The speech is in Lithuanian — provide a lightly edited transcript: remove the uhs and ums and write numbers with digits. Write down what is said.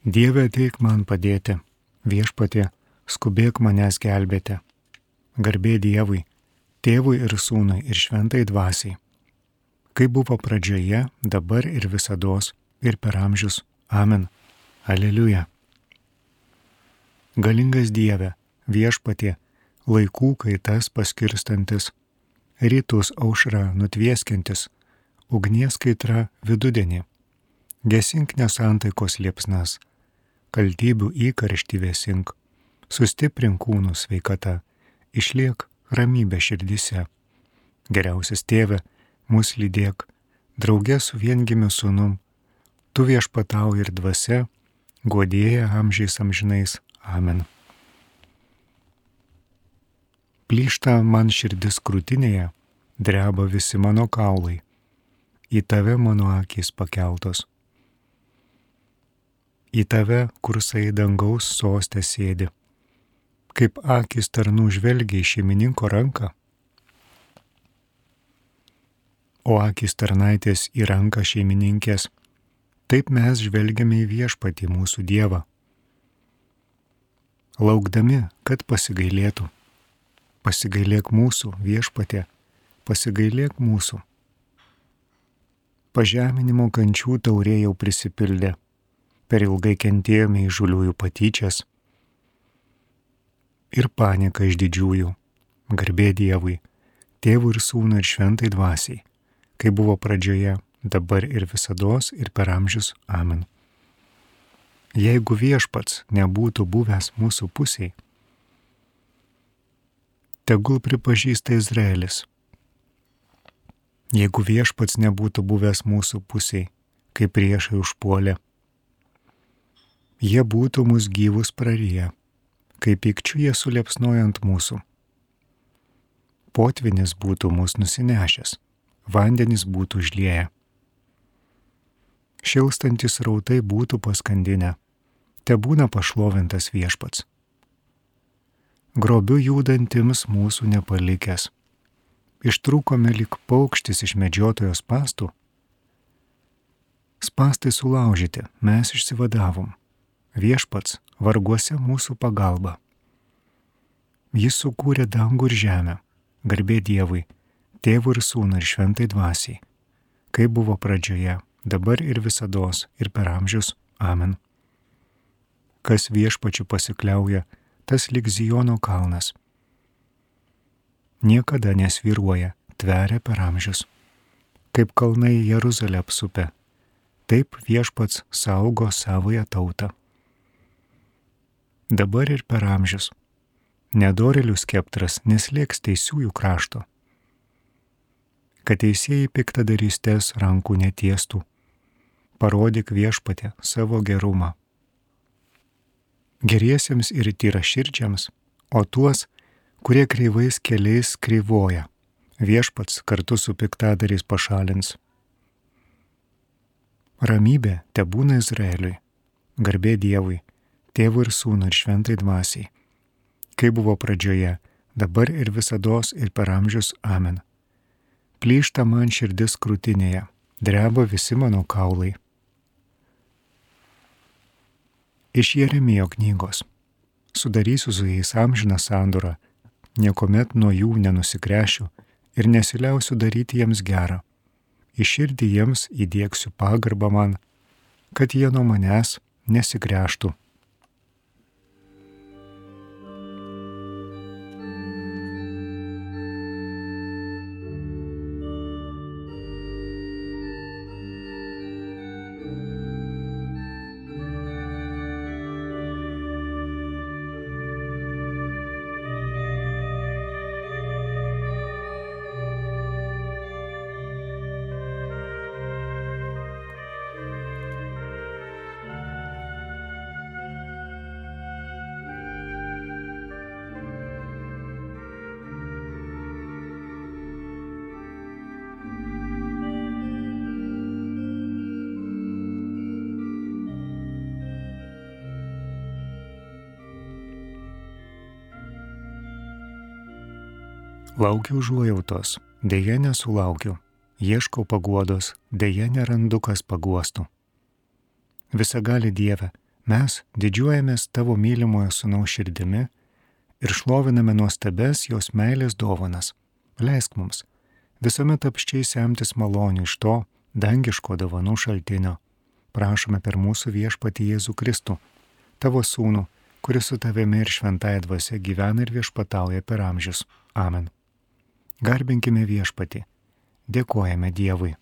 Dieve, ateik man padėti, Viešpatie, skubėk manęs gelbėti. Garbė Dievui, Tėvui ir Sūnui ir Šventai Dvasiai, kaip buvo pradžioje, dabar ir visados, ir per amžius. Amen. Aleliuja. Galingas Dieve, Viešpatie, laikų kaitas paskirstantis, rytus aušra nutvieskintis, ugnies kaitra vidudienį, gesink nesantaikos liepsnas, kaltybių įkarštį vėsink, sustiprink kūnų sveikata, išliek ramybė širdyse. Geriausias Tėve, mus lydėk, drauge su viengimiu sūnum, tu viešpatauji ir dvasia, guodėja amžiais amžinais. Amen. Plyšta man širdis krūtinėje, dreba visi mano kaulai, į tave mano akys pakeltos. Į tave, kursai dangaus soste sėdi, kaip akys tarnų žvelgia į šeimininko ranką, o akys tarnaitės į ranką šeimininkės, taip mes žvelgiame į Viešpatį mūsų Dievą, laukdami, kad pasigailėtų. Pasigailėk mūsų, Viešpatie, pasigailėk mūsų. Pažeminimo kančių taurė jau prisipildė, per ilgai kentėjome įžūliųjų patyčias ir paniką iš didžiųjų. Garbė Dievui, Tėvui ir Sūnui ir Šventai Dvasiai, kaip buvo pradžioje, dabar ir visados, ir per amžius. Amen. Jeigu Viešpats nebūtų buvęs mūsų pusėj, tegul pripažįsta Izraelis. Jeigu Viešpats nebūtų buvęs mūsų pusėj, kai priešai užpuolė, jie būtų mus gyvus prariję, kai pykčiu jie suliepsnojo ant mūsų. Potvinis būtų mus nusinešęs, vandenys būtų užlieję. Šilstantis rautai būtų paskandinę, tebūna pašlovintas Viešpats. Grobiu jūdantims mūsų nepalikęs, ištrūkome lyg paukštis iš medžiotojo spąstų. Spąstai sulaužyti, mes išsivadavom, Viešpats varguose mūsų pagalba. Jis sukūrė dangų ir žemę, garbė Dievui, Tėvui ir Sūnui ir Šventai Dvasiai, kaip buvo pradžioje, dabar ir visados, ir per amžius. Amen. Kas Viešpačiu pasikliauja, tas lyg Zijono kalnas. Niekada nesvyruoja, tveria per amžius. Kaip kalnai Jeruzalę apsupę, taip Viešpats saugo savąją tautą. Dabar ir per amžius. Nedorėlių skeptras neslėgs teisiųjų krašto. Kad teisėjai piktadarystės rankų netiestų, parodyk Viešpate savo gerumą. Geriesiems ir tyraširdžiams, o tuos, kurie kreivais keliais kreivoja, Viešpats kartu su piktadariais pašalins. Ramybė tebūna Izraeliui, garbė Dievui, Tėvui ir Sūnui ir Šventai Dvasiai, kaip buvo pradžioje, dabar ir visados, ir per amžius. Amen. Plyšta man širdis krūtinėje, dreba visi mano kaulai. Iš Jeremijo knygos. Sudarysiu su jais amžiną sandorą, niekuomet nuo jų nenusigręšiu ir nesiliausiu daryti jiems gerą. Į širdį jiems įdiegsiu pagarbą man, kad jie nuo manęs nesigręžtų. Laukiu užuojautos, dėja nesulaukiu, ieškau paguodos, dėja nerandu kas paguostų. Visagali Dieve, Mes didžiuojamės tavo mylimojo sūnaus širdimi ir šloviname nuostabes jos meilės dovanas. Leisk mums visuomet apščiai semtis malonių iš to dangiško dovanų šaltinio. Prašome per mūsų viešpatį Jėzų Kristų, tavo sūnų, kuris su tavimi ir šventąja dvasia gyvena ir viešpatauja per amžius. Amen. Garbinkime viešpatį. Dėkojame Dievui.